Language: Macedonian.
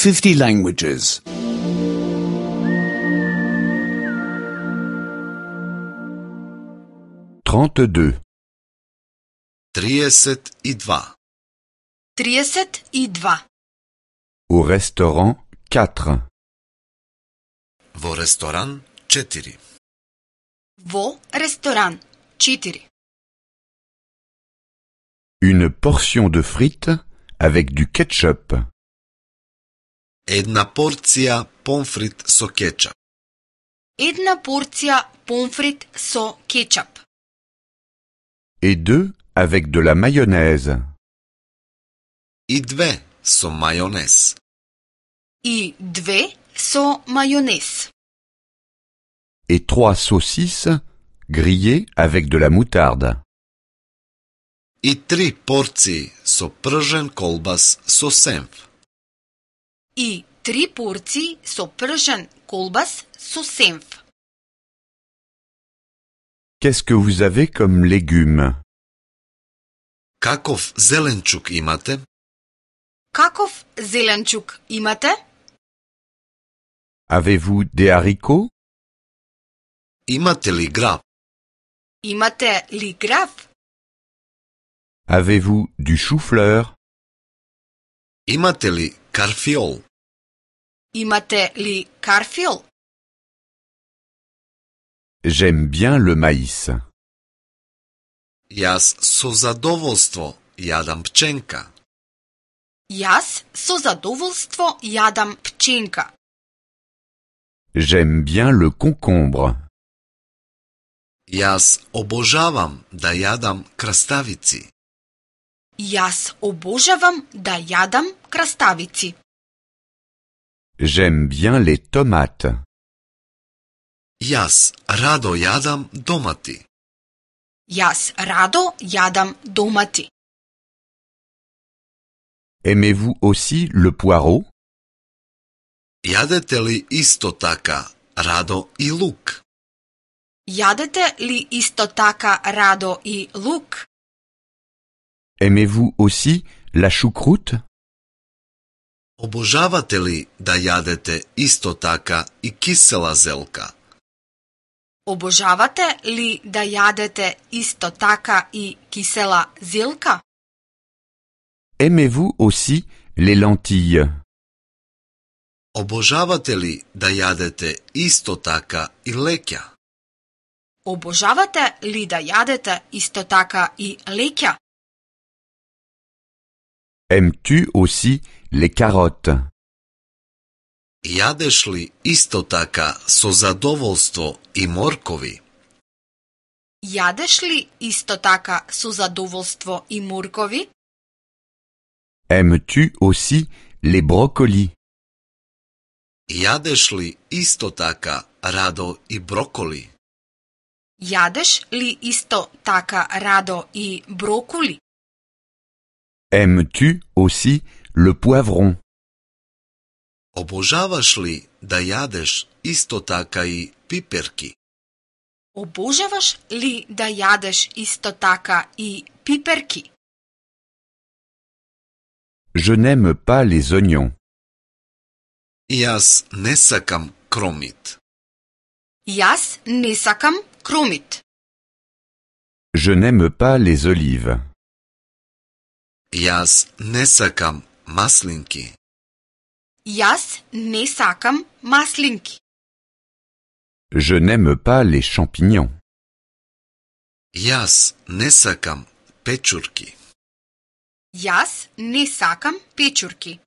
50 languages. 32. 32. 32. Au restaurant 4. Во ресторан 4. Во ресторан 4. Une portion de frites avec du ketchup. Една порција помфрит со кетчап. Една порција помфрит со кетчап. Et 2 avec de la mayonnaise. И 2 со мајонез. И 2 со мајонез. Et 3 saucisses grillées avec de la moutarde. И 3 порции со пржен колбас со сенф. И 3 порции со пржен колбас со сенф. Qu'est-ce que vous avez comme légumes? Каков зеленчук имате? Каков зеленчук имате? Avez-vous des haricots? Имате ли граб? Имате ли грав? Avez-vous du chou-fleur? Имате ли карфиол? Имате ли карфиол? J'aime bien le maïs. Јас со задоволство јадам пченка. Јас со задоволство јадам пченка. J'aime bien le concombre. Јас обожавам да јадам краставици. Јас обожавам да јадам краставици. J'aime bien les tomates. Јас радо јадам домати. Јас радо јадам домати. Aimez-vous aussi le poireau? Јадете ли исто така радо и лук? Јадете ли исто така радо и лук? Aimez-vous aussi la choucroute? Обожавате ли да јадете исто така и кисела зелка? Обожавате ли да јадете исто така и кисела зелка? Aimez-vous aussi les lentilles? Обожавате ли да јадете исто така и леќа? Обожавате ли да јадете исто така и леќа? Aimes-tu aussi les carottes? Јадеш ли исто така со задоволство и моркови? Јадеш ли исто така со задоволство и моркови? Aimes-tu aussi les brocolis? Јадеш ли исто така радо и броколи? Јадеш ли исто така радо и броколи? Aimes-tu aussi le poivron? Обожаваш ли да јадеш исто така и пиперки? Обожаваш ли да јадеш исто така и пиперки? Je n'aime pas les oignons. Јас не сакам кромит. Јас не сакам кромит. Je n'aime pas les olives. Јас не сакам маслинки. Јас не сакам маслинки. Je n'aime pas les champignons. Јас не сакам печурки. Јас не сакам печурки.